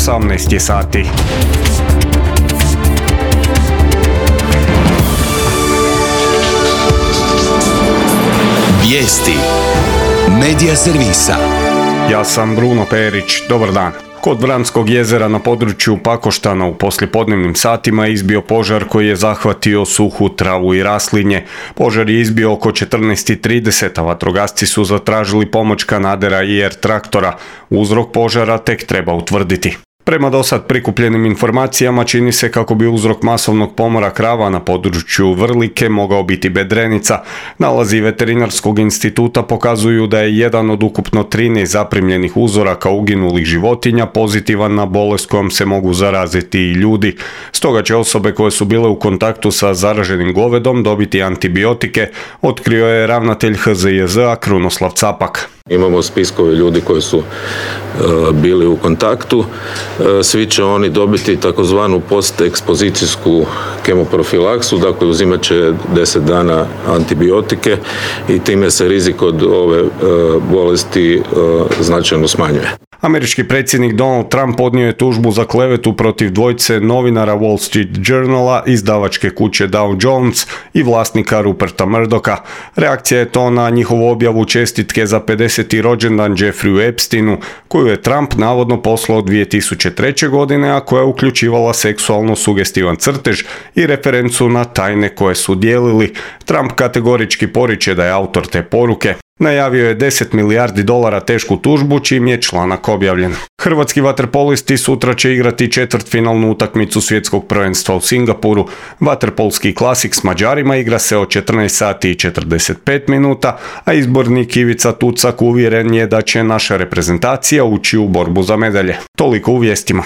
18 je sati. Vijesti Medija servisa. Ja sam Bruno Perić, dobar dan. Kod Vranskog jezera na području Pakoštana u poslijepodnevnim satima je izbio požar koji je zahvatio suhu travu i raslinje. Požar je izbio oko 14:30, a vatrogasci su zatražili pomoć kanadera i traktora. Uzrok požara tek treba utvrditi. Prema dosad prikupljenim informacijama čini se kako bi uzrok masovnog pomora krava na području Vrlike mogao biti bedrenica. Nalazi Veterinarskog instituta pokazuju da je jedan od ukupno 13 zaprimljenih uzoraka uginulih životinja pozitivan na bolest kojom se mogu zaraziti i ljudi. Stoga će osobe koje su bile u kontaktu sa zaraženim govedom dobiti antibiotike, otkrio je ravnatelj HZJZ-a Krunoslav Capak. Imamo spiskove ljudi koji su bili u kontaktu. Svi će oni dobiti takozvanu postekspozicijsku kemoprofilaksu, dakle uzimat će 10 dana antibiotike i time se rizik od ove bolesti značajno smanjuje. Američki predsjednik Donald Trump podnio je tužbu za klevetu protiv dvojice novinara Wall Street Journala, izdavačke kuće Dow Jones i vlasnika Ruperta Murdocha. Reakcija je to na njihovu objavu čestitke za 50. rođendan Jeffreyu Epsteinu, koju je Trump navodno poslao 2003. godine, a koja je uključivala seksualno sugestivan crtež i referencu na tajne koje su dijelili. Trump kategorički poriče da je autor te poruke. Najavio je $10 milijardi tešku tužbu, čim je članak objavljen. Hrvatski vaterpolisti sutra će igrati četvrtfinalnu utakmicu svjetskog prvenstva u Singapuru. Vaterpolski klasik s Mađarima igra se od 14:45, a izbornik Ivica Tucak uvjeren je da će naša reprezentacija ući u borbu za medalje. Toliko u vijestima.